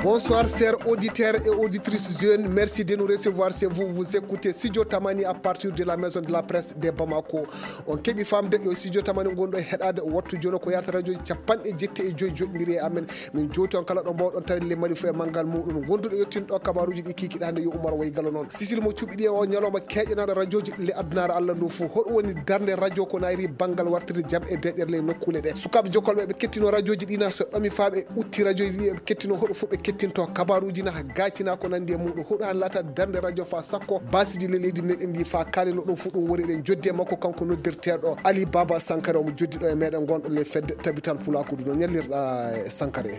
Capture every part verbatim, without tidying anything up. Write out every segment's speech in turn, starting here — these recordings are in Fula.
Bonsoir, chers auditeurs et auditrices jeunes. Merci de nous recevoir chez vous. Vous écoutez Studio Tamani à partir de la maison de la presse de Bamako. On keɓi famde yo Studio Tamani gonɗo e heɗade wattu jono ko yarata radio capanɗe jetti e joyi joɗɗiri e amen. Min jowti on kala ɗo mbawɗon tawde le Mali fof e manngal muɗum. Gonduɗo yettinɗo kabaruji ɗi kikiɗe hannde yo Umar Waygalo noon. Sisil mo cuɓiɗi e o ñalawma keƴanaɗo radioji ɗi le addunaare Allah ndu fof. Hoɗo woni darnde radio ko nayri banngal wartirde jam e deƴƴere le nokkuule ɗe. Sukaaɓe jokkolɓe ɓe kettino radioji ɗi na so ɓami faa ɓe utti radioji ɗi ɓe kettino hoɗo fof ɓe kettinto kabaruji na gaacina ko nandi e muɗum. Hoɗo han laata darnde radio faa sakko basiji le leydi meɗen ndi faa kalino ɗum fof ɗum woni eɗen joddi e makko kanko noddirteɗo Ali Baba Sankara omo joddi ɗo e meɗen gonɗo le fedde tabital pulakudu no ñallirɗa e Sankara e.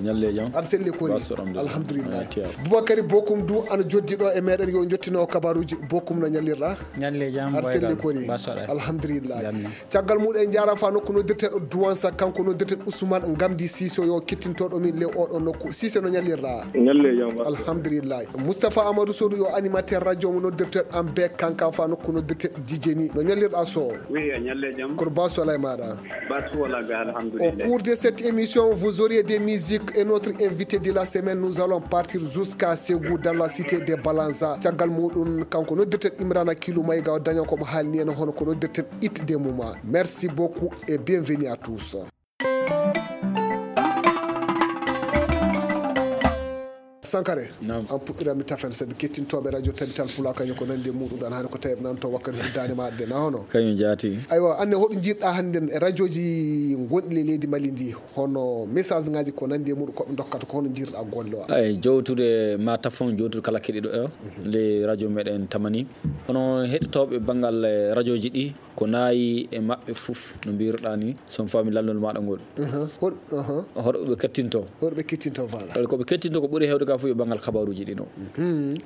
Ñalle jam. Aɗa selli kori. Alhamdulillah. Boubacary Bokum du ana joddi ɗo e meɗen yo jottino kabaruji. Bokum no ñallirɗa? Ñalle jam. Aɗa selli kori. Alhamdulillah. Caggal muɗum en jarama fa nokku noddirteɗo Duwansa kanko noddirteɗo Ousmane Gamdi Siso yo kettintoɗo min le oɗo nokku. Sise no ñallirɗa? Ñalle jam. Alhamdulillah. Moustapha Amadou Sodu yo animateur radio mo noddirteɗo am be kankan fa nokku noddirteɗo Dijeni no ñallirɗa so? Oui, a ñalle jam. Kono basu alay maɗa. Basu wala ga. Au cours de cette émission, vous aurez des musiques et notre invité de la semaine, nous allons partir jusqu'à Ségou dans la cité de Balanza. Caggal muɗum kanko noddirten Imrana Kilu Mayga o daña ko mo haalni en hono ko noddirten It de Muma. Merci beaucoup et bienvenue à tous. Sankare, an puɗɗiranmi tafen sabi kettintoɓe radio tabital pula kañum ko nandi e muɗum ɗan hani ko tawi nanto wakkati fuddani maɗa de na hono? Kañum jaati. Aywa, anne hoɗo jiɗɗa hannden e radioji gonɗi le leydi Mali ndi, hono message ngaji ko nandi e muɗum koɓe dokkata ko hono jiɗɗa golle o? Ay, jowtude ma tafon jowtude kala keɗiɗo e nde radio meɗen Tamani. Hono heɗitoɓe banngal radioji ɗi ko nayi e maɓɓe fof no mbiruɗa ni, son fami lallol maɗa ngol. Hoɗo ɓe kettinto? Hoɗo ɓe kettinto, voilà. Ko ɓe kettinto ko ɓuri hewde ka fof yo banngal kabaruji ɗi no.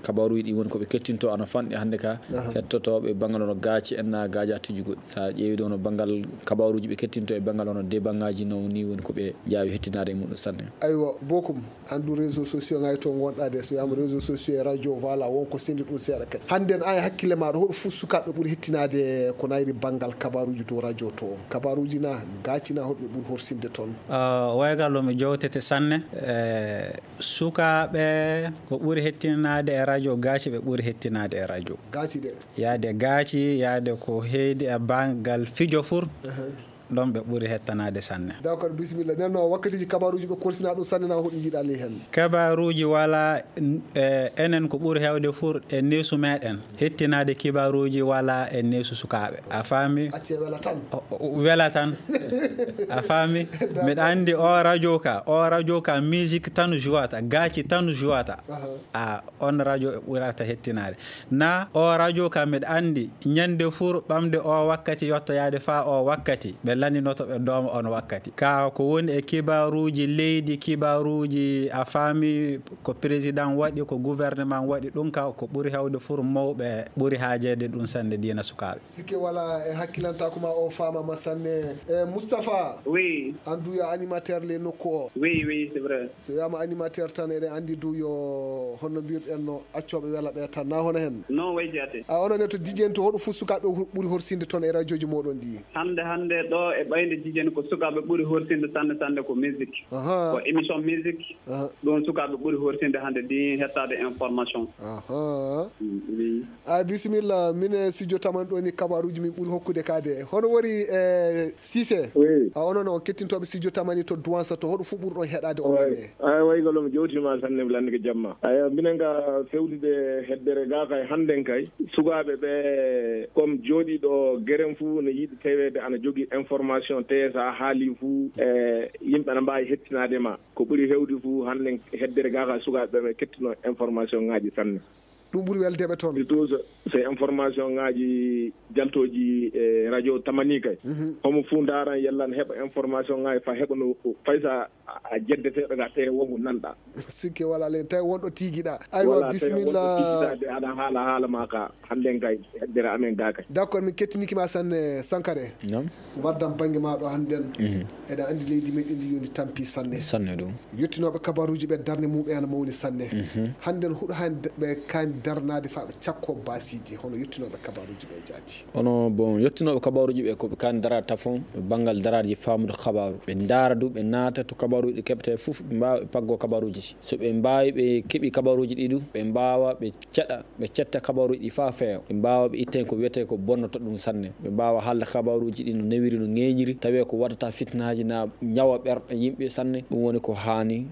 Kabaruji ɗi woni ko ɓe kettinto ana fanɗi hannde ka hettotoɓe banngal ono gaaci en na gaajatuji goɗɗi. Sa ƴeewi ɗo no banngal kabaruji ɓe kettinto e banngal ono de banngaji no ni woni ko ɓe jaawi hettinade e muɗum sanne. Aywa, Bokum, andu réseau sociaux ngaji to gonɗa de, so wiyama réseau sociaux e radio, voilà, wonko sendi ɗum seeɗa kadi. Hannden an e hakkille maɗa hoɗo fof sukaɓe ɓuri hettinade ko nayri banngal kabaruji to radio to? Kabaruji na gaaci na hoɗo ɓe ɓuri horsinde toon? Ah, waygal o mi jowtete sanne. Eh, sukaaɓe ko ɓuri hettinade e radio gaaci ɓe ɓuri hettinade e radio. Gaaci de. Yaade gaaci, yaade ko heydi e banngal fijo fur. Ɗon ɓe ɓuri hettanaade sanne. D'accord, bisimilla. Nden no wakkatiji kabaruji ɓe korsina ɗum sanne na hoɗi jiiɗa ley hen? Kabaruji wala, n-, eh, enen ko ɓuri hewde fur e neesu meɗen. Hettinaade kibaruji wala e neesu sukaaɓe. A faami? Acce wela tan. O, o, wela tan. A faami? D'accord. Miɗa anndi o radio ka, o radio ka musique tan jouata, gaaci tan jouata. Aha. A, on radio ɓurata hettinaade. Na o radio ka miɗa anndi ñande fur ɓamde o wakkati yottoyaade faa o wakkati, ɓe lanndinoto ɓe dooma on wakkati. Ka ko woni e kibaruuji leydi, kibaruuji a faami ko président waɗi, ko gouvernement waɗi, ɗum ka ko ɓuri hewde fur mawɓe ɓuri haajeede ɗum sanne diina sukaaɓe. Sikke wala e hakkilantaaku ma o faamama sanne. E Moustapha, oui, an du yo animateur le nokku o. Oui, oui, c'est vrai. So wiyama animateur tan, eɗen anndi du yo honno mbirɗen no accoɓe wela ɓe tan, na hono hen? Non, way jaate. A, onon ne to Dijeni to, hoɗo fof sukaaɓe hu-, ɓuri horsinde toon e radioji moɗon ɗi? Hannde, hannde ɗo e ɓayde Dijeni ko sukaaɓe ɓuri horsinde sanne, sanne ko musique. Aha. Ko émission musique. Aha. Ɗum sukaaɓe ɓuri horsinde hannde ɗi hettaade information. Aha. Mm, oui. A, bisimilla, min e studio Tamani ɗo ni kabaruji min ɓuri hokkude ka de. Hono woni, eh, Cissé? Oui. A, onon o kettintoɓe studio Tamani to Douansa to, hoɗo fof ɓurɗon heɗade onon ne? Ay, way galo mi jowtima sanne mi lannike jamma. Ayo, minen ga fewtude heddere ga kay hannden kay. Sukaaɓe ɓe comme jooɗiiɗo geren fuu ne yiɗi taweede ana jogii information, tee so a haalii fuu, e, yimɓe ana mbaawi hettinaade ma. Ko ɓuri heewde fuu, hannden heddere gaa ka sukaaɓe ɓe kettino information ŋaaji sanne. Ɗum ɓuri weldeeɓe toon. Surtout so, so information ŋaaji jaltooji e radio Tamani kay. Mhm. Homo fuu ndaaran yalla ne heɓa information ŋaaji faa heɓa no fay so a, a jeddeteeɗo ga tee wonko nanɗa. Sikke walaa len, tawi wonɗo tiigiɗa. Aywa, wala, tawi wonɗo bisimilla. Tiigiɗa de, aɗa haala haala ma ka, hannden kay, heddere amen ga kay. D'accord, min kettiniki ma sanne, Sankare. Naam. Mbaddam bannge ma ɗo hannden. Mhm. Eɗa anndi leydi men ndi yo ndi tampi sanne. Sanne ɗum. Yettinooɓe kabaruuji ɓe darnde mum e ana mawni sanne. Mhm. Hannden huɗo han de-, ɓe kan darnaade faa ɓe cakkoo baasiiji hono yottinooɓe kabaaruuji ɓee jaati. Hono, bon, yottinooɓe kabaaruuji ɓee ko ɓe kaani daraade tafon e banngal daraaji faamude kabaaru. Ɓe ndaara du, ɓe naata to kabaaruuji ɗi keɓetee fof, ɓe mbaawa ɓe paggoo kabaaruuji ɗi. So ɓe mbaawi, ɓe keɓii kabaaruuji ɗi du, ɓe mbaawa ɓe ceɗa, ɓe cetta kabaaruuji ɗi faa feewa. Ɓe mbaawa ɓe itta heen ko wiyetee ko bonnata ɗum sanne. Ɓe mbaawa haalde kabaaruuji ɗi no newiri, no ŋeeñiri, tawee ko waɗata fitinaaji naa ñawa ɓerɗe yimɓe sanne. Ɗum woni ko haani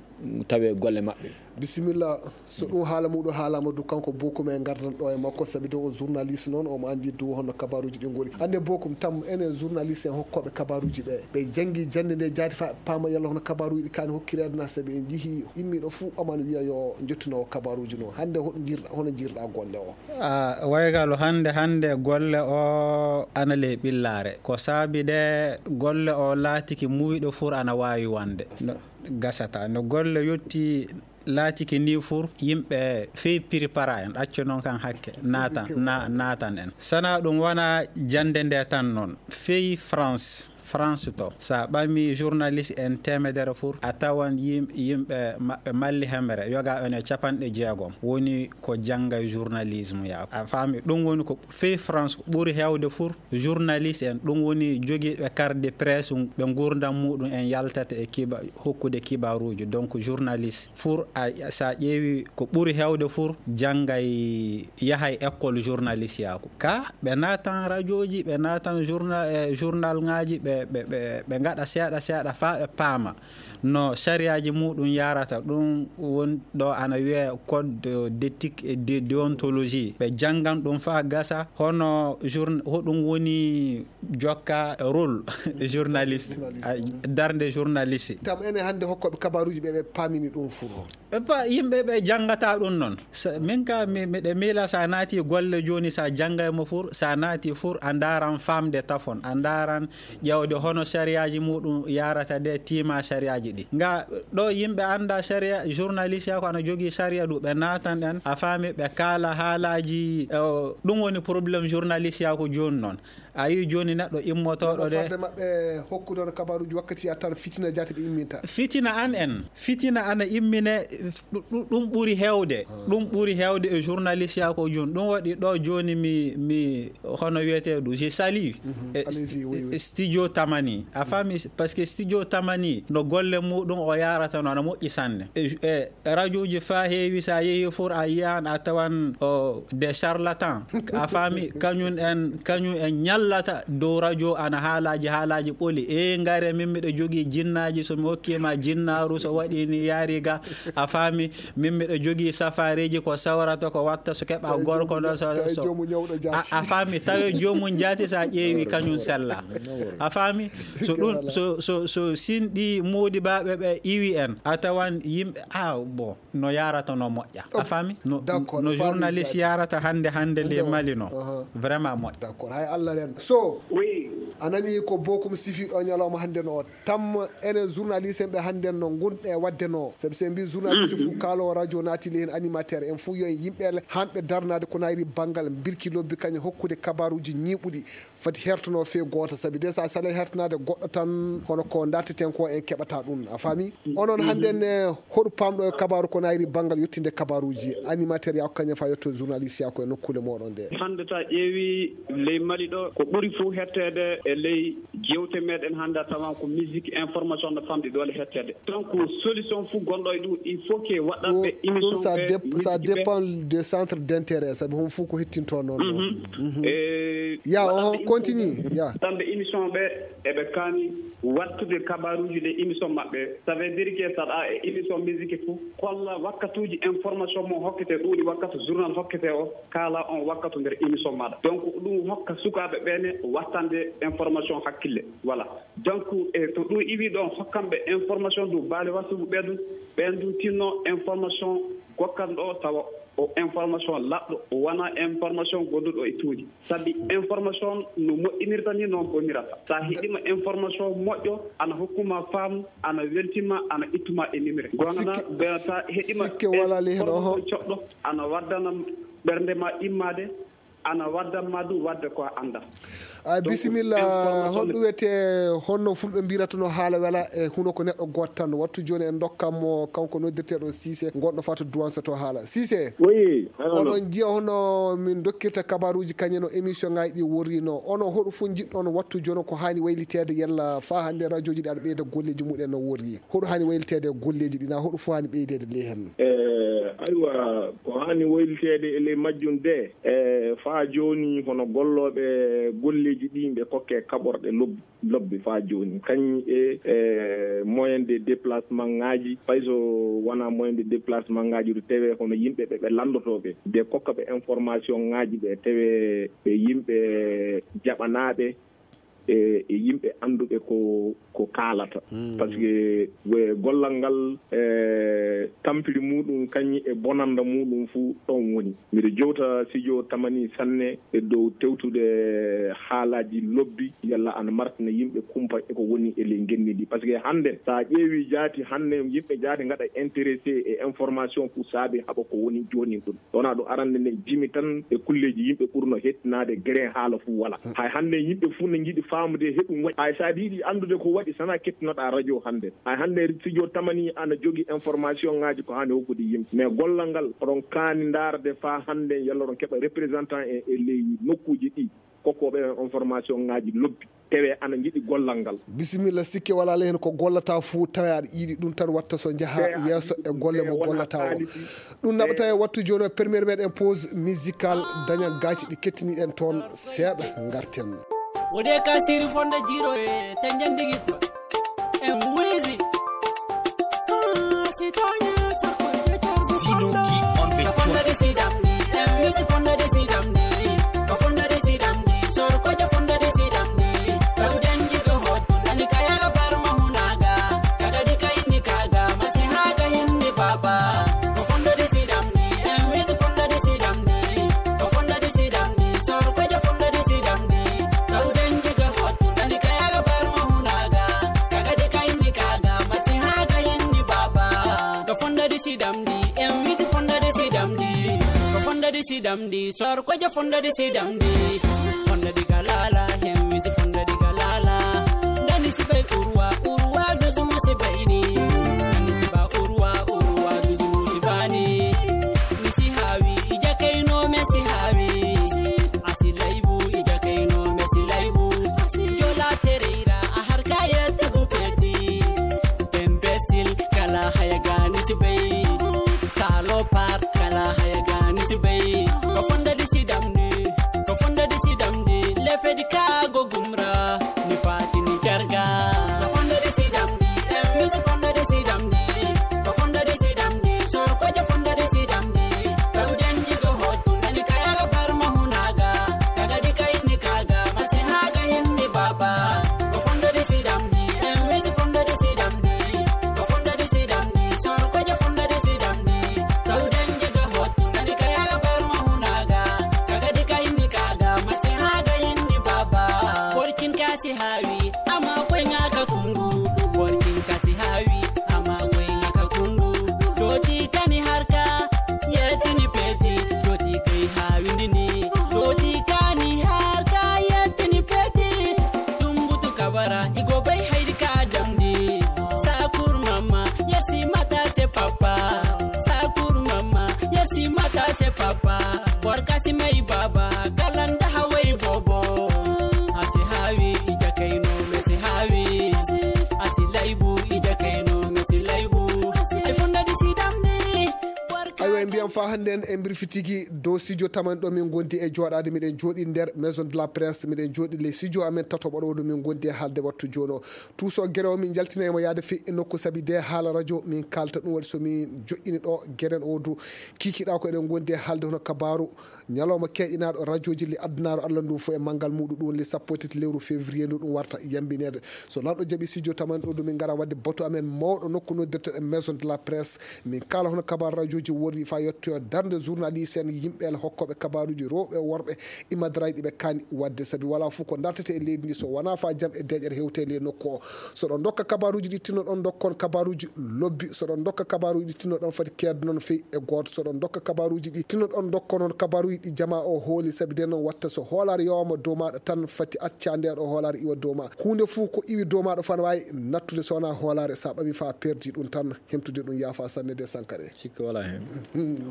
tawee golle maɓɓe. Bisimilla, so ɗum haala muɗum haalaama du, kanko Bokum en ngardan ɗo e makko, sabi de o journaliste noon, omo anndi du hono kabaaruuji ɗi ngoni. Hannde Bokum, tam enen journaliste en hokkooɓe kabaaruuji ɓe, ɓe janngi jannde nde jaati faa ɓe paama yalla hono kabaaruuji ɗi kaani hokkireede na, sabi en njihii immiiɗo fuu omo ana wiya yo njottinoo kabaaruuji noon. Hannde hoɗo njirɗa, hono njirɗa golle o? Ah, Waygalo, hannde, hannde golle o ana ley ɓillaare. Ko saabi de golle o laatiki muuyɗo fur ana waawi wonde. No, gasata. No golle yotti laatiki ni fur, yimɓe fey prépara en, accu noon kan hakke, naatan, na-, naatan en. Sana ɗum wona jannde nde tan noon. Fey France, France to, so a ɓami journaliste en teemedere fur, a tawan yim-, yimɓe maɓɓe malli hemre, yoga en e capanɗe jeegom woni ko janngay journalisme ya. A faami, ɗum woni ko fey France ɓuri heewde fur, journaliste en, ɗum woni jogiiɓe carte de presse, ɓe nguurndam muɗum en yaltata e kiba-, hokkude kibaaruuji. Donc, journaliste fur, a, so a ƴeewi ko ɓuri heewde fur, janngay, yahay école journaliste yaaku. Ka, ɓe naatan rajooji, ɓe naatan journa-, eh, journal ŋaaji, ɓe, ɓe, ɓe, ɓe ngaɗa seeɗa seeɗa faa ɓe paama no sariyaaji muɗum yarata. Ɗum woni ɗo ana wiyee code de-, d'éthique et de déontologie. Ɓe janngan ɗum faa gasa, hono journ-, hoɗum woni jokka rôle journaliste, journaliste. A, darnde journaliste. Tam enen hannde hokkooɓe kabaaruuji ɓe, ɓe paamini ɗum fur. Ɓe pa-, yimɓe ɓe janngata ɗum noon. Sa-, min ka mi, miɗe miila so a naati golle jooni, so a janngay mo fur, so a naati fur, a ndaaran faamde tafon, a ndaaran ƴeewde hono sariyaaji muɗum yarata de, tiima sariyaaji ɗi. Nga ɗo yimɓe annda sariya, journaliste ya ko ana jogii sariya du, ɓe naatan ɗen, a faami, ɓe kaala haalaaji, eh, ɗum woni problème journaliste ya ko jooni noon. A yii jooni neɗɗo immotooɗo de. Fadde maɓɓe hokkude on kabaaruuji wakkati ya tan fitina jaati ɓe imminta. Fitina an en. Fitina ana immine, ɗu-, ɗu-, ɗum ɓuri heewde. Ɗum ɓuri heewde e journaliste ya ko jooni. Ɗum waɗi ɗo jooni mi, mi, hono wiyetee ɗum, je salue. Mhm. E allez-y, st-, oui, oui. Studio Tamani. A faami, parce que Studio Tamani, no golle muɗum o yarata no ana moƴƴi sanne. E, e, Rajooji faa heewi, so a yehii fur, a yiyan, a tawan, o, des charlatans. A faami, kañum en, kañum en ñallata dow rajo, ana haalaaji, haalaaji ɓoli. E, ngare, min miɗo jogii jinnaaji, so mi hokkii ma jinnaaru, so waɗii ni yaari ga. A faami, min miɗo jogii safareeji, ko sawrata, ko watta, so keɓa gorko ɗo, so, so. A, a faami, tawe joomum jaati, so a ƴeewi kañum sella. A faami? So ɗum, so, so, so sin ɗi moodi baaɓe ɓe iwi en, a tawan yimɓe, ah, bon. No yarata no moƴƴa. A faami? No, d'accord, no journaliste yarata hannde, hannde le Mali no. Aha. Vraiment moƴƴa. D'accord, hay Allah ren. So, oui, a nani ko Bokum sifi ɗo ñalawma hannde no. Tam enen journaliste en ɓe hannde no ngonɗe waɗde no. Sabi so en mbi journaliste fof kaalo radio naati le hen animateur en fof yo en yimɓe le hanɓe darnaade ko nayri banngal mbirki lobbi kañum hokkude kabaaruuji ñiiɓuɗi. Fati hertono fee gooto, sabi de so a sali hertanaade goɗɗo tan, hono ko darteten ko en keɓata ɗum, a faami? Onon hannde ne, hoɗo pamɗo e kabaaru ko nayri banngal yettinde kabaaruuji, animateur yaa ko kañum fa yetto journaliste yaa ko e nokkuule mooɗon ɗe? Hannde so a ƴeewi ley Mali ɗo, ko ɓuri fof hetteede e ley jeewte meɗen hannde a tawan ko musique, information no famɗi doole hetteede. Donc, solution fof gonɗo e ɗum, il faut que waɗanɓe émission ɓe, ça dépend de centre d'intérêt, sabi hon fof ko hettinto noon ɗo. Mhm. Mhm. E ya, waɗanɓe oho, continue, ya. Waɗanɓe émission ɓe, eɓe kaani wattude kabaaruuji ɗe émission maɓɓe. Ça veut dire que saɗa e émission musique fof, kolla wakkatuuji information mo hokkete, ɗuuɗi wakkatu journal hokkete o, kaala on wakkatu nder émission maɗa. Donc, ɗum hokka sukaaɓe ɓe ne wattande information hakkille. Voilà. Donc, e to ɗum iwi ɗon, hokkanɓe information du baale wasuɓe ɓe ɗum, ɓen du tinno information gokkanɗo tawa o information laɓɗo, o wona information gonduɗo e tuuji. Sabi information no moƴƴinirta ni noon bonirata. Sa heɗima information moƴƴo, ana hokkuma faamu, ana weltima, ana ittuma e nimre. Gonana, sikke, sa heɗima sikke wala le hen, oho, information coɗɗo, ana waddana ɓernde ma immade, ana waddan ma ɗum wadde ko a annda. A Donc, bisimilla, information honɗum wiyetee, honno fulɓe mbirata no haala wela e huno ko neɗɗo gooto tan. Wattu jooni en ndokkan mo kanko noddirteeɗo Siise, gonɗo faa to Duwansa to haala. Siise, Oui, allo. Oɗon njiya hono min dokkirta kabaruuji kañum no émission ngaji ɗi worri no. Ono hoɗo fof njiɗɗon wattu jooni ko haani wayliteede yalla faa hannde rajooji ɗi aɗa ɓeyda golleeji mumen no worri. Hoɗo haani wayliteede e golleeji ɗi, na hoɗo fof haani ɓeydeede ley heen? Eh, aywa, ko haani wayliteede e ley majjum de, eh, faa jooni hono gollooɓe golleeji ɗi ɓe kokke kaɓorɗe lobbi, lobbi faa jooni. Kañ e, eh, moyen de déplacement ngaji, fay so wonaa moyen de déplacement ngaji, to tawee hono yimɓe ɓe, ɓe lanndotooɓe, de kokka ɓe information ngaji ɓe, tawee ɓe yimɓe jaɓanaaɓe, e, e yimɓe annduɓe ko, ko kaalata. Parce que we-, gollal ngal, e, tampiri muɗum kañum e bonannda muɗum fuu ɗon woni. Miɗo jowta studio Tamani sanne e dow tewtude haalaaji lobbi, yalla ana martina yimɓe kumpa e ko woni e ley ngenndi ndi. Parce que hannde, so a ƴeewi jaati, hannde yimɓe jaati ngaɗa intéressé e information fuu saabi haɓa ko woni jooni ɗum. Wonaa ɗum arande nde jimi tan e kulleeji yimɓe ɓurno hettinaade, gere haala fuu wala. Hay hannde yimɓe fuu ne njiɗi faamude he ɗum waɗi. Hay so aɗa yiɗi anndude ko waɗi, sana kettinoɗaa radio hannde. Hay hannde studio Tamani ana jogi information ngaji ko haani hokkude yimɓe. Mais gollal ngal, oɗon kaani ndaarde faa hannde yalla oɗon keɓa représentant e, e ley nokkuuji ɗi. Kokkooɓe en information ngaji lobbi. Tawee ana njiɗi gollal ngal. Bisimilla, sikke walaa ley heen ko gollata fuu, tawee aɗa yiɗi ɗum tan watta so njaha yeeso e golle mo gollata o. Ɗum naɓata e wattu jooni o, premier meɗen pause musical, daña gaaci ɗi kettiniɗen toon seeɗa, ngarten. Wode ka siri fonda jiro e tanjandi gitto. En wizi. Sinoki on the track. Fonda de sidam ni, en wizi fonda de sidam ni. Ko fonda de sidam ni, sor ko ja fonda de sidam ni. Tawden jigo hot, nani kaya bar mahuna. Kaga di ka inni kaga, masi haga hinni baba. Ko fonda di sidam ni, en wizi fonda di sidam ni. Ko fonda di sidam ni, sor ko ja fonda di sidam ni. Tawden jigo hot, nani kaya bar mahunaga. Kaga di ka inni kaga, masi haga hinni baba. Ko fonda di sidam ni, en wizi fonda di sidam ni. Ko fonda di sidam ni, sor ko ja fonda di sidam ni. Fonda di galala, en wizi fonda di galala. Dani si bay urwa, urwa duzumu si bayni. Dani si ba urwa, urwa duzumu si bani. Ni si hawi, ija kaino me si hawi. Asi laibu, ija kaino me si laibu. Asi jola tereira, a har kaya tabu peti. Imbécile, kala haya gani si bay. Salopard, kala haya gani si bay. Ko fonda di sidam ni, ko fonda di sidam ni. Lefe di kago gumra, ni fati ni jarga. Ko fonda di sidam ni, em, ko fonda di sidam ni. Ko fonda di sidam ni, sor ko ja fonda di sidam ni. Tawden jigo hot, nani kaya bar mahunaga. Kaga di ka inni kaga, masi haga hinni baba. Ko fonda di sidam ni, em, wizi fonda di sidam ni. Ko fonda di sidam ni, sor ko ja fonda di sidam ni. Tawden jigo hot, nani kaya bar mahunaga. Kaga di ka inni kaga, masi haga hinni baba. Porkin kasi hawi, ama ko ngaka kungu. Porkin kasi hawi, ama ko ngaka kungu. Doti kani harka, yetini peti. Doti kai hawi ndini. Doti kani harka, yetini peti. Tumbutu kabara, igo bay haydi ka damdi. Sakur mama, yersi mata se papa. Sakur mama, yersi mata se papa. Borkasi mai baba, kalanda hawai bobo. Asi hawi, ija kaino, mesi hawi. Asi laibu, ija kaino, mesi laibu. Ai fonda di sidam ni. Aywa, en mbiyam faa hannde en, en mbirfi tigi dow studio Tamani ɗo min ngondi e jooɗaade. Miɗen jooɗi nder Maison de la Presse, miɗen jooɗi ley studio amen tatoɓo ɗo, ɗo min ngondi e haalde wattu jooni o. Tuuso gere o, min njaltina e mo yaade fii e nokku sabi de haala radio, min kaalta ɗum. Waɗi so min joƴƴini ɗo geren o du, kiikiɗaa ko eɗen ngondi e haalde hono kabaaru ñalawma keeƴinaaɗo rajooji li adunaaru Allah ndu fof e manngal muɗum, ɗum woni le sappo e tati lewru février ndu ɗum warta yambineede. So lanɗo jaɓi studio Tamani ɗo du, min ngara waɗde batu amen mawɗo nokku noddirteɗen Maison de la Presse. Min kaala hono kabaar rajooji worri faa yetto darnde journaliste en, yimɓe hokkooɓe kabaaruuji, rewɓe, worɓe, immadirais ɗi ɓe kaani waɗde, sabi walaa fof ko dartete e leydi ndi so wonaa faa jam e deeƴere hewta e ley nokku o. So ɗon ndokka kabaaruuji ɗi tinno ɗon ndokkon kabaaruuji lobbi, so ɗon ndokka kabaaruuji ɗi tinno ɗon fati keednon fey e gooto, so ɗon ndokka kabaaruuji ɗi tinno ɗon ndokkon on kabaaruuji ɗi jamaa o hooli, sabi nden noon watta so hoolaare yowaama dow maaɗa tan fati acca ndee ɗo hoolaare iwa dow ma. Huunde fof ko iwi dow maaɗa fof ana waawi nattude so wonaa hoolaare, so a ɓami faa perdi ɗum tan, hemtude ɗum yaafa sanne de Sankare. Sikke walaa heen.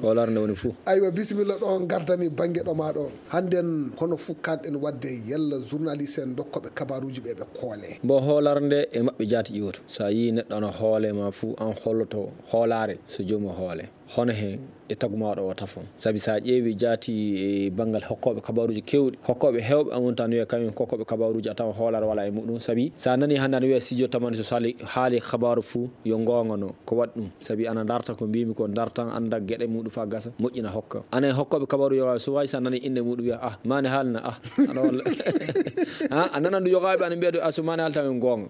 Hoolaare nde woni fof. Aywa, bisimilla ɗo ngardami bannge ɗo ma ɗo. Hannden hono fof kanɗen waɗde yalla journaliste en ndokkooɓe kabaaruuji ɓe ɓe koole. Mbo hoolaare nde e maɓɓe jaati iwoto. So a yii neɗɗo ana hoole ma fof, an holloto hoolaare so joomum hoole. Hono heen e tagu ma ɗo o tafon. Sabi so a ƴeewi jaati e banngal hokkooɓe kabaaruuji keewɗi, hokkooɓe heewɓe amun tan wiya kañum hokkooɓe kabaaruuji a tawa hoolaare walaa e muɗum. Sabi so a nani hannde ana wiya studio tamani so sali haali kabaaru fof yo ngoonga no. Ko waɗi ɗum? Sabi ana darta ko mbiymi ko dartan annda geɗe muɗum faa gasa moƴƴina hokka. Ana e hokkooɓe kabaaru yoga so wawi so a nani innde muɗum wiya ah mani haalna ah. Ana walla. Ha, a nanan ɗum yogaaɓe ana mbiya ɗum ah so mani haalta men goonga.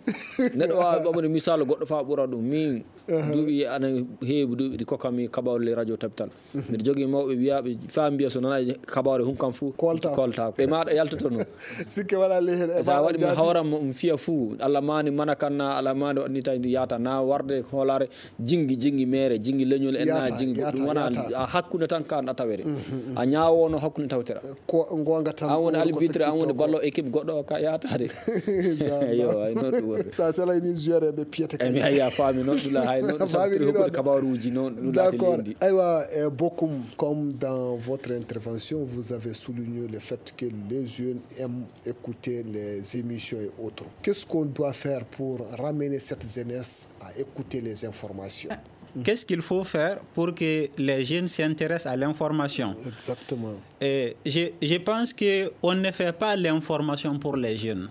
Neɗɗo waawi ɓamude misaalu goɗɗo faa ɓura ɗum. Min duuɓi ana heewi duuɓi ɗi kokkanmi kabaaru ley radio tabital. Mbiɗa jogii mawɓe wiyaaɓe faa mbiya so nanaani kabaaru hun kam fof koltaako. Ɓe maaɗa yaltoto no. Sikke walaa ley heen. E so a waɗi mi hawran mo mi fiya fuu Allah maani mana kan na Allah maani waɗni tawi ndi yaata na warde hoolaare jingi jingi meere jingi leñol en na jingi ɗum wona a hakkunde tan kan a tawere. A ñaawono hakkunde tawtera. Ko ngoonga tan an woni albitre an woni ballo équipe goɗɗo o ka yaataade. Yo ay noon ɗum woni. Sa selay ni joueur ɓe piyata kay mi ay a faami noon ɗula hay noon ɗum sabtiri hokkude kabaruuji noon ɗum laati lendi. Aywa, eh, Bokum, comme dans votre intervention vous avez souligné le fait que les jeunes aiment écouter les émissions et autres, qu'est-ce qu'on doit faire pour ramener cette jeunesse à écouter les informations? Qu'est-ce qu'il faut faire pour que les jeunes s'intéressent à l'information? Exactement. Et je, je pense que on ne fait pas l'information pour les jeunes.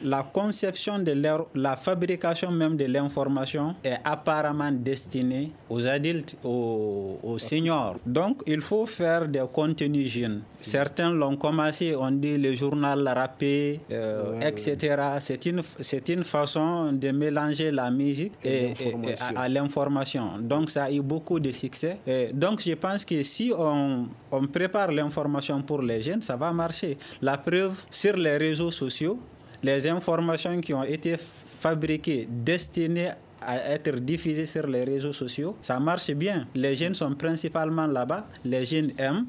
La conception de leur, la fabrication même de l'information est apparemment destinée aux adultes, aux, aux seniors. Donc, il faut faire des contenus jeunes. Certains l'ont commencé, on dit le journal rappé, euh, et cetera. C'est une, c'est une façon de mélanger la musique et, et à, à l'information. Donc, ça a eu beaucoup de succès. Et donc, je pense que si on, on prépare l'information pour les jeunes, ça va marcher. La preuve, sur les réseaux sociaux, les informations qui ont été fabriquées, destinées à être diffusées sur les réseaux sociaux, ça marche bien. Les jeunes sont principalement là-bas, les jeunes aiment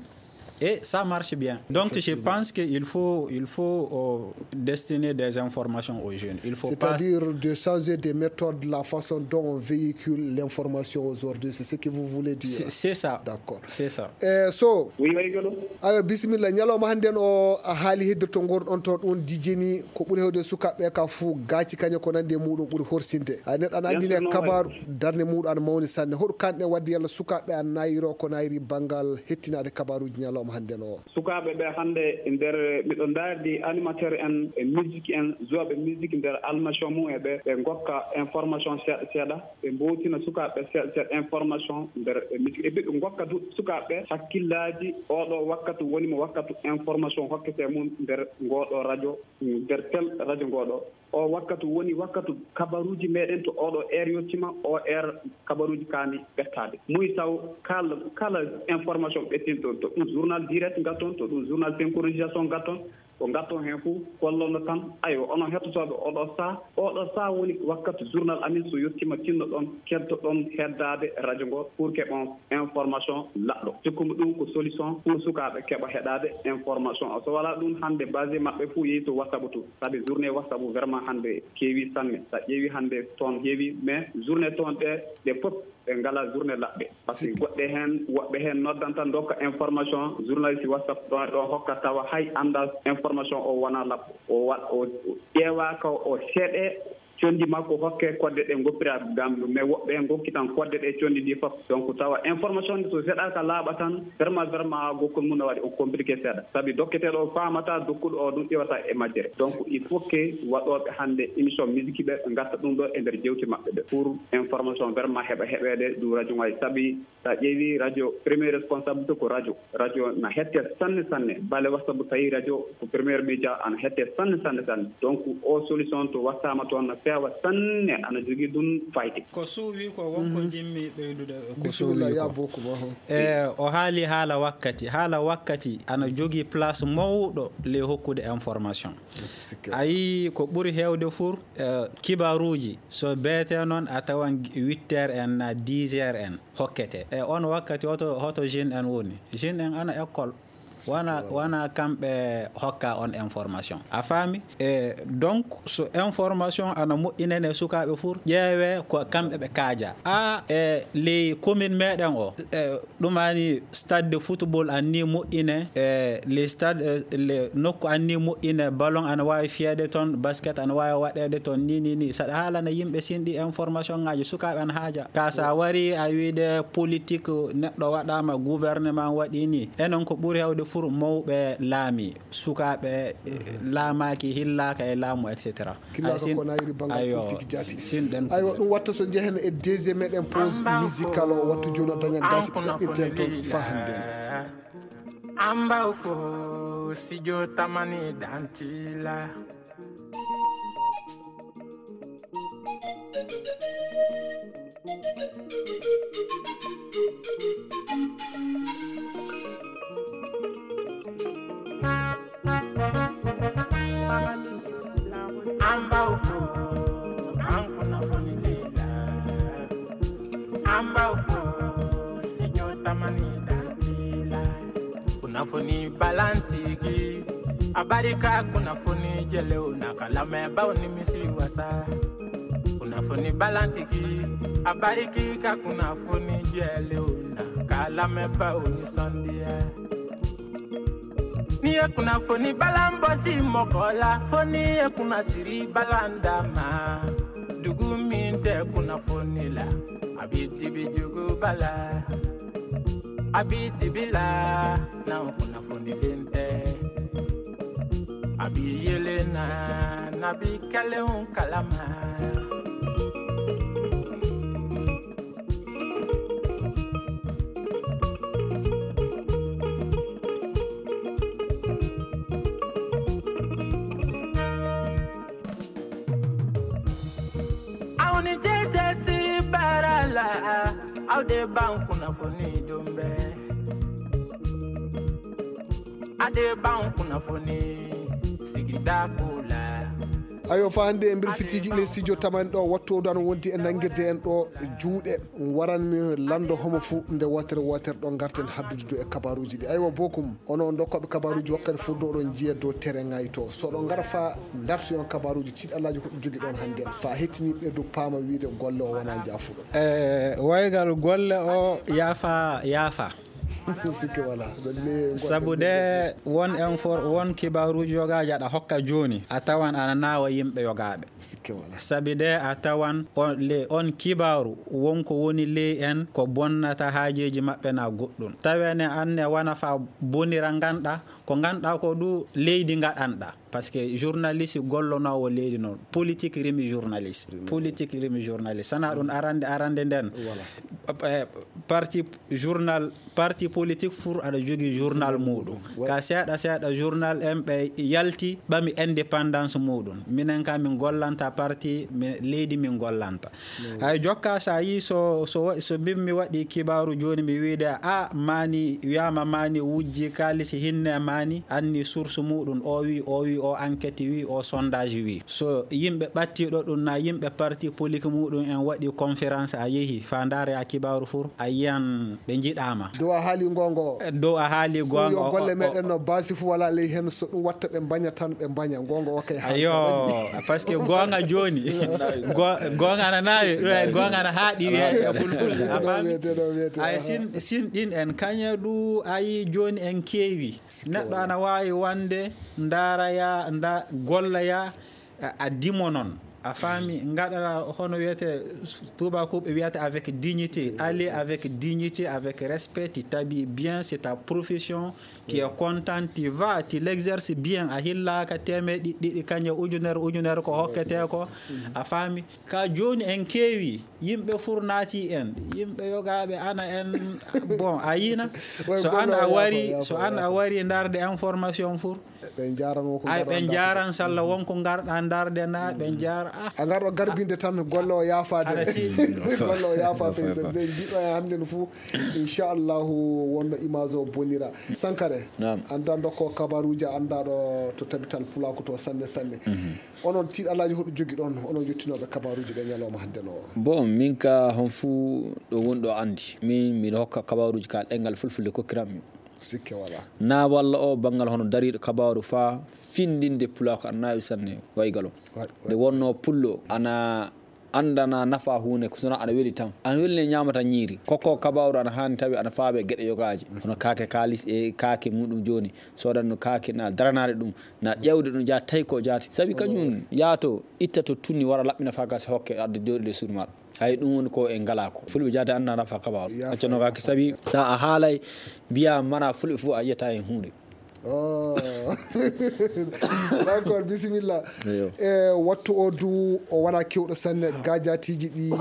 et ça marche bien. Donc je pense qu'il faut, il faut euh, destiner des informations aux jeunes. Il faut pas... C'est-à-dire de changer des méthodes, la façon dont on véhicule l'information aujourd'hui, c'est ce que vous voulez dire? C'est ça. D'accord. C'est ça. Eh, so oui, oui, awa bisimilla, ñalawma hannden o a haali hedde to ngorɗon to ɗum dijeni ko ɓuri hewde sukaaɓe ka fuu gaaci kaña ko nandi e muɗum ɓuri horsinde. Ay neɗɗo ana anndine kabaaru darnde muɗum ana mawni sanne. Hoɗum kanɗen waɗde yalla sukaaɓe ana nayiro ko nayri banngal hettinaade kabaaruuji ñalawma hannden o? Sukaaɓe ɓe hannde nder miɗo ndaardi animateur en e musique en joueɓe musique nder almation mum e ɓe ɓe ngokka information seeɗa seeɗa. Ɓe mbowtina sukaaɓe seeɗa seeɗa information nder e ɓe ngokka du sukaaɓe ɓe hakkillaaji. Ooɗo wakkatu woni mo wakkatu information hokketee mum nder ngooɗo radio, nder tel radio ngooɗo. O wakkatu woni wakkatu kabaruuji meɗen to ooɗo heure yottima, o heure kabaruuji kaani ɓettaade. Muy taw kala kala information ɓettinɗon, to ɗum journal direct ngatton, to ɗum journal synchronisation ngatton, ko ngatton heen fof kollono tan. Aywa, onon hettotooɓe oɗo saha, oɗo saha woni wakkati journal amin so yettiima tinnoɗon keddoɗon heddaade radio ngo pour que on information laɓɗo. Cikkumi ɗum ko solution pour sukaaɓe keɓa heɗaade information o. So walaa ɗum hannde base maɓɓe fof yehi to WhatsApp to, sabi journée WhatsApp vraiment hannde keewi sanne. So a ƴeewi hannde toon heewi, mais journée toon ɗe ɗe fof ɓe ngalaa journée laɓɓe. Parce que goɗɗe heen, woɓɓe heen noddanta ndokka information, journaliste WhatsApp ɗo ɗo hokka tawa hay anndaa information o wonaa laɓɗo. O wa o ƴeewaaka o seeɗe conndi makko hokke kodde ɗe ngoppira gam ɗum. Mais woɓɓe heen ngokki tan kodde ɗe conndi ɗi fof. Donc tawa information ndi so seeɗaaka laaɓa tan vraiment vraiment gokkol mum no waɗi o compliqué seeɗa. Sabi dokketeeɗo o faamata dokkuɗo o ɗum ƴewata e majjere. Donc il faut que waɗooɓe hannde émission musique ɓe ɓe ngatta ɗum ɗo e nder jewte maɓɓe ɗe pour information vraiment heɓa heɓeede ɗum radio ngaji. Sabi so a ƴeewi radio premier responsabilité ko radio. Radio na hette sanne sanne bale wasta bu tawi radio ko premier média ana hette sanne sanne sanne. Donc o solution to wattama toon Feewa sanne, ana jogii ɗum fayde. Ko suuwi ko wonko Mhm. Njimmi ɓeydude ko Bisimilla, suuwi ya ko. Bokum, oho. E, o haali haala wakkati. Haala wakkati ana jogii place mawɗo le hokkude information. Sikke. A yii ko ɓuri heewde fur, e, kibaaruuji. So beetee noon a tawan huit heures en na dix heures en hokkete. E on wakkati hoto, hoto jeune en woni? Jeune en ana école. Wana, wana kamɓe hokka on information. A faami? E, donc, so information ana moƴƴinane sukaaɓe fur, ƴeewe ko kamɓe ɓe kaaja. A, e, ley commune meɗen o, e, ɗumani stade de football anni moƴƴine, e, les stade, e, le nokku anni moƴƴine, ballon ana waawi fiyeede toon, basket ana waawi waɗeede toon, ni, ni, ni. Saɗa haalana yimɓe sinɗi information ŋaaji sukaaɓe ana haaja. Ka sa wari a wiide politique neɗɗo waɗaama, gouvernement waɗi ni. Enen ko ɓuri heewde fur mawɓe laami, sukaaɓe, e, laamaaki, hillaaka e laamu, et cetera. Killaaɗo Ay, sin-, ko nayri banngal ayo, politique jaati. Sin ɗen Aywa, ɗum watta so njehen e deuxième meɗen pause musical o, wattu jooni o daña daati ɗi ɗaɓɓirten toon fa hannden. Amba fo sijo tamani dantila. An b'aw fo, an kunnafonili la. An b'aw fo, sijo tamani dantila. Kunnafoni balantigi, a barika kunnafoni jɛlenw na ka lamɛnbaaw nimisi wasa. Kunnafoni balantigi, a barika kunnafoni jɛlenw na ka lamɛnbaaw nisɔndiya. N'i ye kunnafoni balan bɔsi mɔgɔ la, fo n'i ye kunnasiri balan d'a ma. Dugu min tɛ kunnafoni la, a bɛ dibi juguba la. A bɛ dibi la, n'anw kunnafonilen tɛ. A bɛ yeelen na, n'a bɛ kɛlenw kalama. Aw ni cɛcɛsiri baara la, aw de b'an kunnafoni don bɛɛ. A de b'an kunnafoni sigida ko la. Ayo, fa hannde en mbirfitiiji ɗi studio tamani ɗo, wattu o ɗo wondi e nanngirde en ɗo juuɗe. Waranmi lanndo homo fuu nde wootere wootere ɗo ngarten haddude dow e kabaaruuji ɗi. Aywa, bokum, onon dokkooɓe kabaaruuji wakkati fuu ɗo oɗon njiya dow tere ngaay to. So oɗon ngara fa ndartoyon kabaaruuji tiiɗallaaji ko ɗum jogi ɗon hannde. Fa hettiniiɓe dow paama wiide golle o wonaa njaafuɗo. E, waygal golle o yaafa, yaafa. Sikke wala. Sabu de won infor-, won kibaaruuji yogaaji aɗa hokka jooni, a tawan ana naawa yimɓe yogaaɓe. Sikke wala. Sabi de a tawan on, le, on kibaaru won ko woni ley en ko bonnata haajeeji maɓɓe na goɗɗum. Tawene anne wana fa bonira nganɗa, ko nganɗa ko du leydi ngaɗanɗa. Parce que journaliste gollonoowo leydi noon, politique rimi journaliste. Rimi. Politique rimi journaliste. Sana ɗum arande, arande nden. Voilà. Eh, parti journal, parti politique fur aɗa jogii journal muɗum. Ouais. Ka seeɗa seeɗa journal en ɓe yalti ɓami indépendance muɗum. Minen ka min gollanta parti, mi-, leydi min gollanta. Mm. Hay jokka sa yi so, so wa-, so mbimmi waɗi kibaaru jooni mi wiide a mani wiyama mani wujji kaalisi hinne mani anni source muɗum o wi, o wi, o enquête wi, o sondage wi. So yimɓe ɓattiɗo ɗum na yimɓe parti politique muɗum en waɗi conférence a yehi fa ndaare a kibaaru fur a yiyan ɓe njiɗama. Dow a haali ngongo. Dow a haali gonga. Yo golle meɗen no basi fu wala ley hen so ɗum watta ɓe mbaña tan ɓe mbaña ngongo o kay haali. Ayo, tan waɗi. Parce que gonga jooni. Go-, gonga ana naawi, eh, gonga ana haaɗi wiyeede e fulfulde. A faami? Ɗo wiyete, ɗo wiyete. Ay sin, sin ɗin en kaña du ayi jooni en keewi. Neɗɗo ana waawi wande ndaara ya, nda-, golla ya, a, a dimo noon. A faami, ngaɗa hono wiyete, tubakuɓe wiyata avec dignité. Aller avec dignité, avec respect, tu t'habilles bien, c'est ta profession, tu es content, tu vas, tu l'exerces bien, a hillaaka teemeɗe ɗiɗi, ɗiɗi, kañe ujunere, ujunere ko hokkete ko. A faami? Ka jooni en keewi, yimɓe fur naati en, yimɓe yogaaɓe ana en, bon, a yina, so an a wari, so an a wari ndarde information fur, ɓe njaran won ko ay, ɓe njaran salla won ko ngarɗa ndarde na, ɓe njar-, A ngarɗo garbinde tan golle o yaafaade. Golle o yaafa fey, sabi ɓe njiɗo e hannde no fuu. Inchallahu wonno image o bonira. Sankare, annda dokko kabaruuji, annda ɗo to tabital pulaaku to sanne sanne. Onon tiiɗalaaji hoɗo jogi ɗon, onon yettinooɓe kabaruuji ɗe ñalawma hannde no? Bon, min ka hon fuu ɗo woni ɗo anndi. Min miɗo hokka kabaruuji ka ɗenngal fulfulde kokkirammi. Sikke wala. Na walla o banngal hono dariiɗo kabaaru faa findinde pulaaku aɗa naawi sanne waygalo. Nde wonno pullo ana anndana nafa huunde ko sona ana weli tan. Ana weli ne ñaamata ñiiri. Kokko kabaaru ana haani tawi ana faabe geɗe yogaaji. Hono kaake kaalis e kaake muɗum jooni. Soodan no kaake na daranaade ɗum. Na ƴeewde ɗum jaati tawi ko jaati. Sabi kañum yaato itta to tunni wara laɓɓina faa gasa hokke adda jooɗi le suudu maɗa. Hay ɗum woni ko en ngalaa ko. Fulɓe jaade annda nafa kabaaru. Accanoo kaake sabi so a haalay mbiya mana fulɓe fof a yiyata heen huunde. Oh. D'accord, bisimilla. E wattu o du o wona kewɗo sanne gajatiji ɗi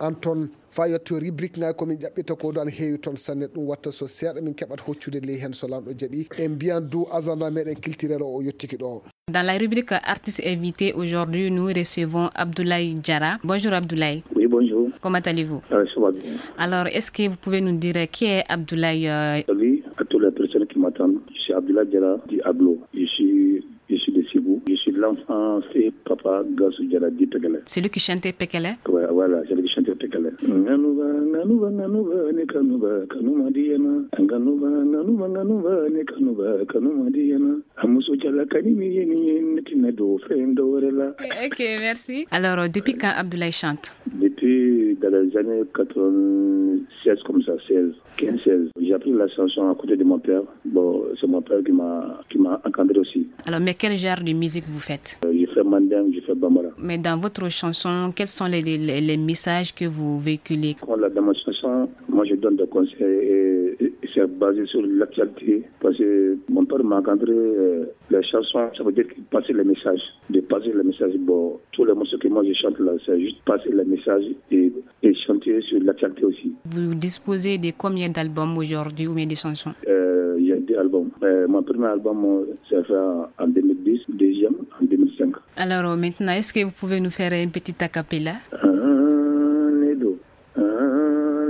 an ton fa yetto rubrique ngaji komin ƴaɓɓita ko du an heewi ton sanne ɗum watta so seeɗa min keɓat hoccude ley heen so lanɗo jaɓi en mbiyan du agenda meɗen culturel o o yettiki ɗo. Dans la rubrique artiste invité aujourd'hui, nous recevons Abdoulaye Diarra. Bonjour Abdoulaye. Oui, bonjour. Comment allez-vous? Euh, ça va bien. Alors, est-ce que vous pouvez nous dire qui est Abdoulaye, euh, Salut à toutes les personnes qui m'entendent. Je suis Abdoulaye Diarra, dit Ablo. Je suis, je suis de Ségou. Je suis l'enfant fait papa Gassou Diarra, dit Pekele. Celui qui chantait Pekele? Ouais, voilà, celui qui chantait Pekele. Nganuba, nganuba, nganuba, ne kanuba, kanuma diana. Nganuba, nganuba, nganuba, ne kanuba, kanuma diana. Amuso Diallo, kanimi yeni yeni, tina do, fen do, rela. Ok, merci. Alors, euh, depuis quand Abdoulaye chante? Depuis dans les années quatre-vingt-seize, comme ça, seize, quinze, seize. J'ai appris la chanson à côté de mon père. Bon, c'est mon père qui m'a, qui m'a encadré aussi. Alors, mais quel genre de musique vous faites? Euh, je fais mandingue, je fais bambara. Mais dans votre chanson, quels sont les, les, les messages que vous véhiculez? Voilà, dans ma chanson, moi je donne des conseils et, et c'est basé sur l'actualité. Parce que mon père m'a encadré, euh, les chansons, ça veut dire qu'il passe les messages. De passer les messages, bon, tous les morceaux que moi je chante là, c'est juste passer les messages et, et chanter sur l'actualité aussi. Vous disposez de combien d'albums aujourd'hui ou bien de chansons? Euh, j'ai deux albums. Euh, mon premier album, euh, c'est fait en, en deux mille dix, deuxième en deux mille cinq. Alors, euh, maintenant, est-ce que vous pouvez nous faire un petit a cappella? Ah, Nedo, ah,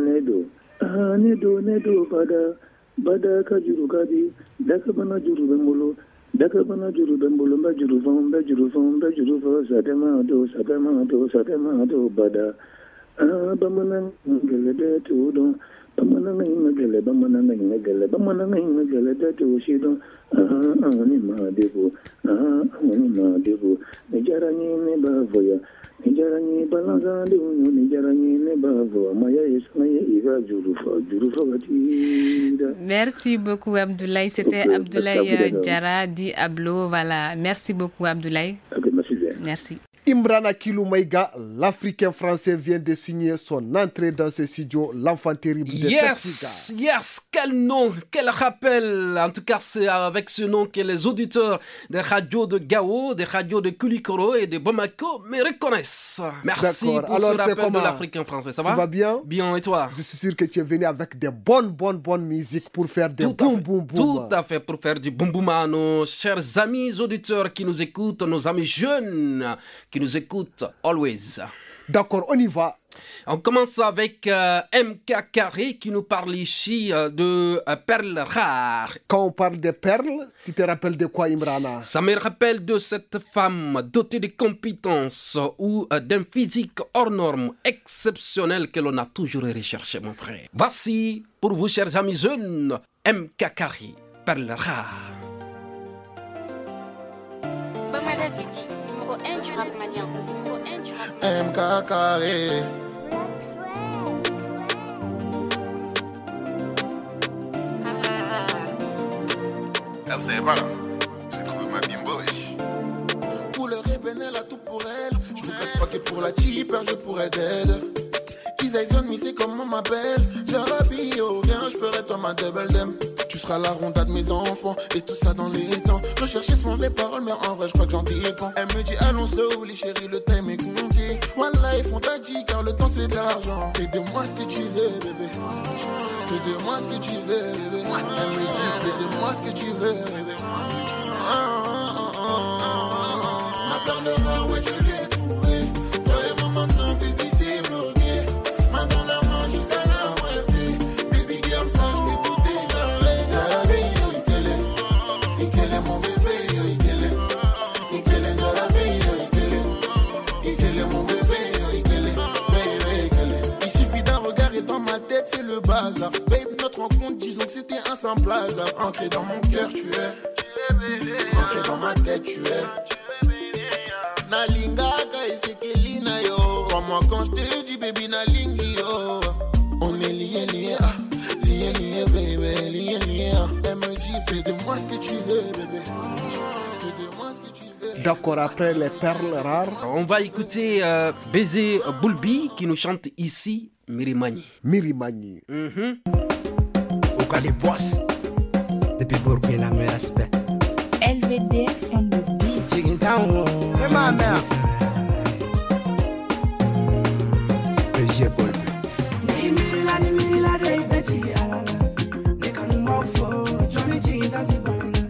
Nedo, ah, Nedo, Nedo, Bada. Bada ka juru kadi, daka bana juru bembolo, daka bana juru bembolo, mba juru fon, mba juru fon, mba juru fon, sadema do, sadema do, sadema do, bada. Ah, bamana ngele de tu don, bamana ngele, bamana ngele, bamana ngele de tu si don. Ah, ah, ni ma debu, ah, ah, ni ma debu. Ni jara ni ne ba voya. Ni jara ni balanza de unyo, ni jara ni ne ba voya. Maya yes, maya iga juru fo, juru fo gatira. Merci beaucoup, Abdoulaye. C'était Ok, Abdoulaye, merci, euh, Abdoulaye. Diarra, dit Ablo. Voilà. Merci beaucoup, Abdoulaye. Ok, merci bien. Merci. Imrana Kilou Maïga, l'Africain français, vient de signer son entrée dans ce studio, l'enfant terrible de Yes, Taxiga. Yes, quel nom, quel rappel. En tout cas, c'est avec ce nom que les auditeurs des radios de Gao, des radios de Kulikoro et de Bamako me reconnaissent. Merci D'accord. pour Alors, ce c'est rappel de comment? L'Africain français. Ça Tu va? vas bien? Bien, et toi? Je suis sûr que tu es venu avec des bonnes, bonnes, bonnes musiques pour faire des Tout à boum, fait. boum, boum. Tout à fait, pour faire du boum boum à nos chers amis auditeurs qui nous écoutent, nos amis jeunes qui nous écoutent always. D'accord, on y va. On commence avec, euh, M K Carré qui nous parle ici, euh, de, euh, perles rares. Quand on parle de perles, tu te rappelles de quoi, Imrana? Ça me rappelle de cette femme dotée de compétences ou, euh, d'un physique hors norme exceptionnel que l'on a toujours recherché, mon frère. Voici pour vous, chers amis jeunes, M K Carré, perles rares. Bamada City, numéro un du rap malien. Numéro un du rap malien. M K Carré. Ah, vous savez pas là, j'ai trouvé ma bimbo, wesh. Couleur ébène, elle a tout pour elle. Je vous cache pas que pour la cheaper, je pourrais dead. Kiss Dyson, mais c'est comment ma belle. Jarabio, viens, je ferai toi ma double dame. Tu seras la ronda de mes enfants et tout ça dans les temps. Rechercher souvent les paroles, mais en vrai, je crois que j'en dépends. Elle me dit, allons slow, les chéris, le time est compté. Wallah, ils font tadji, car le temps c'est de l'argent. Fais de moi ce que tu veux, bébé. Fais de moi ce que tu veux, bébé. Elle me dit, fais de moi ce que tu veux, bébé. Ah, ah, ah, ah, ah, ah. Ma perle rare, ouais, je l'ai trouvée. En place, ancré dans mon cœur, tu es. Ancré dans ma tête, tu es. Nalingaka esekelina yo. Crois-moi quand je te dis, baby, nalingi yo. On est liés, liés, ah, liés, liés, baby, liés, liés, ah. Elle me dit, fais de moi ce que tu veux, bébé. Fais de moi ce que tu veux. D'accord, après les perles rares. On va écouter euh, Baiser Boulbi qui nous chante ici Mirimani. Mirimani. Au cas des boss, depuis Burkina, mes respects. L V D S on the beat. Chicken Town, ma mère. Baiser Boulbi. Ni mirila, ni mirila de ibeji alala. Ne kanu mofo, Johnny G, Dati Balala.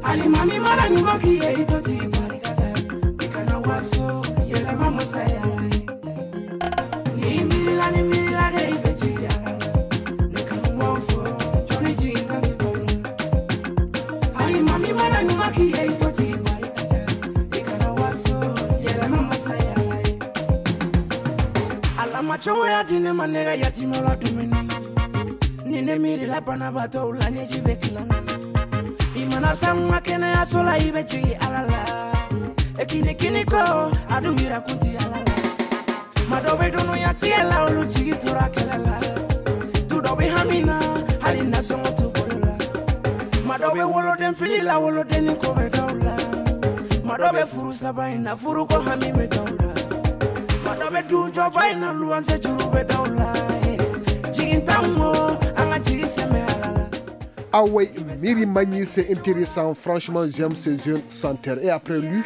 Ali mami mala ni moki ye itoti barikada. Ikana waso, yele mama sayala. Ni mirila, ni mirila de ibeji alala. Ne kanu mofo, Johnny G, Dati Balala. Ali mami mala ni moki ye itoti barikada. Ikana waso, yele mama sayala. Alama cogoya di ne ma ne ka yatima la dumuni. Ni ne miirila banabaatɔw la, ɲɛji bɛ tilana. I mana sanga kɛnɛyaso la, i bɛ jigin Ala la. E kini kini kɔ, a dun bira kun ti Ala la. Ma dɔ bɛ dunuya tiɲɛ la, olu jigi tora kɛlɛ la. Tu dɔ bɛ hami na, hali nasɔngɔ t'u bolo la. Ma dɔ bɛ woloden fili la, wolodennin ko bɛ dɔw la. Ma dɔ bɛ furu saba in na, furu ko hami bɛ dɔw la. Ma dɔ bɛ du jɔba in na, luwanse juru bɛ dɔw la. Jigin t'anw kɔ, an ka jigi sɛmɛ Ala la. Ah oui, Miri Magny, c'est intéressant. Franchement, j'aime ce jeune chanteur. Et après lui,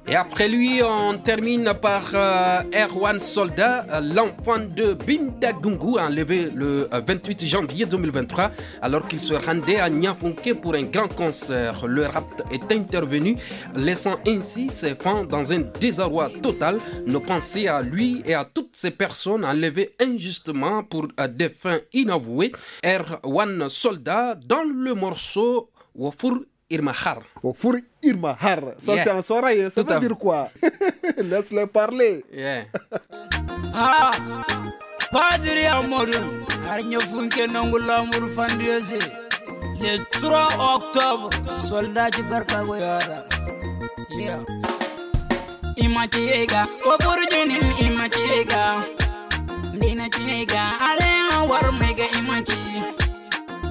Et après lui, on termine par euh, Erwan Soldat, euh, l'enfant de Binda Gungu, enlevé le euh, vingt-huit janvier deux mille vingt-trois, alors qu'il se rendait à Niafunke pour un grand concert. Le rat est intervenu, laissant ainsi ses fans dans un désarroi total. Nos pensées à lui et à toutes ces personnes enlevées injustement pour euh, des fins inavouées. Erwan Soldat dans le morceau Wofur Irma Har. Wofur Irma Har. Ça, yeah, c'est en Soraye. Ça veut dire quoi? Laisse-le parler. Yeah. Ah, Padre Amoru, Arnyo Funke Nongula Murfandiose. Le trois octobre, soldat Barka Goyara. Yeah. Imatiega, Oburjunin Imatiega. Dina Tiega, Ale War Mega Imati.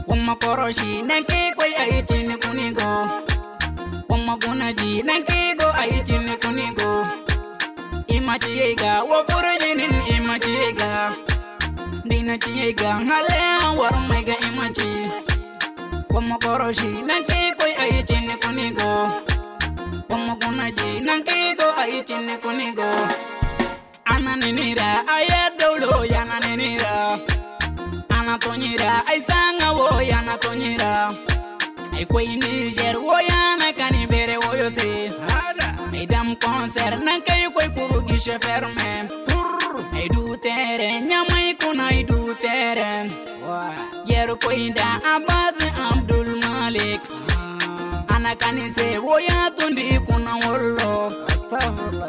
Wamma koroshi nanke koi aitin kunigo. Wamma gunaji nanke go aitin kunigo. Imatiega, wo furujinin imatiega. Dina tiega ngale war mega imati. Wamma koroshi nanke koi aitin kunigo. Wamma gunaji nanke go aitin kunigo. Ana ninira, aya dolo yana ninira. Ana tonyira, ay sanga wo yana tonyira. Ay koy Niger wo yana kani bere wo yo se. Ay dam concert nan kay koy kuru guichet fermé. Ay du tere nyamay kuna ay du tere. Yer koy da Abbas Abdul Malik. Ana kani se wo ya tundi kuna wollo.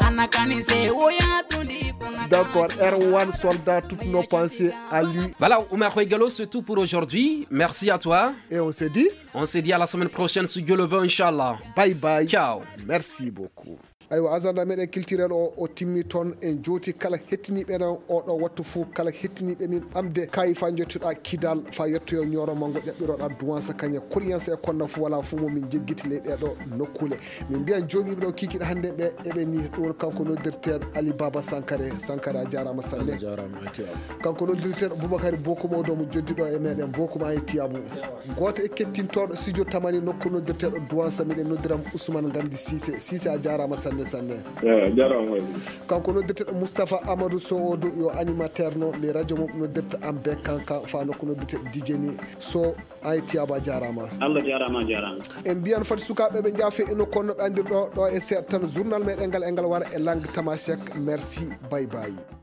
Ana kani se wo ya tundi kuna. D'accord, Erwan Soldat, toutes nos pensées à lui. Voilà, Oumar Khoy Gallo, c'est tout pour aujourd'hui. Merci à toi. Et on se dit On se dit à la semaine prochaine, si Dieu le veut, Inch'Allah. Bye bye. Ciao. Merci beaucoup. Aywa, agenda meɗen culturel o o timmi toon. En jooti kala hettiniiɓe en oɗo wattu fof, kala hettiniiɓe min ɓamde kaayi fa jottuɗa kidal fa yettoyo ñooro mango ƴaɓɓiroɗa duwansa kañe koriyansa e konna fof wala fof mo min jeggiti ley ɗeɗo nokkule. Min mbiyan jooɗiiɓe ɗo kikiɗe hannde ɓe eɓe ni. Ɗum woni kanko noddirteeɗo Ali Baba Sankare. Sankare, a jaaraama sanne. Kanko noddirteeɗo Boubacar Bokum, o ɗo mo joddiɗo e meɗen. Bokum, a yetti abu. Gooto e kettintooɗo studio Tamani nokku noddirteeɗo Duwansa, miɗen noddira mo Ousmane Ngamdi Cissé. Cissé, a jaaraama sanne sanne. Eyi, a jaaraama. Kanko noddirteeɗo Moustapha Amadou Sow, o ɗo yo animateur no le radio mo noddirta am be kankan fa nokku noddirteeɗo Dijeni Sow. A yetti abu, a jaaraama. Allah jaaraama, a jaaraama. En mbiyan fati sukaaɓe ɓe njaafe ino kono ɓe anndir ɗo ɗo e seeɗa tan journal meɗen ngal e ngal wara e langue tamasek. Merci, bye bye.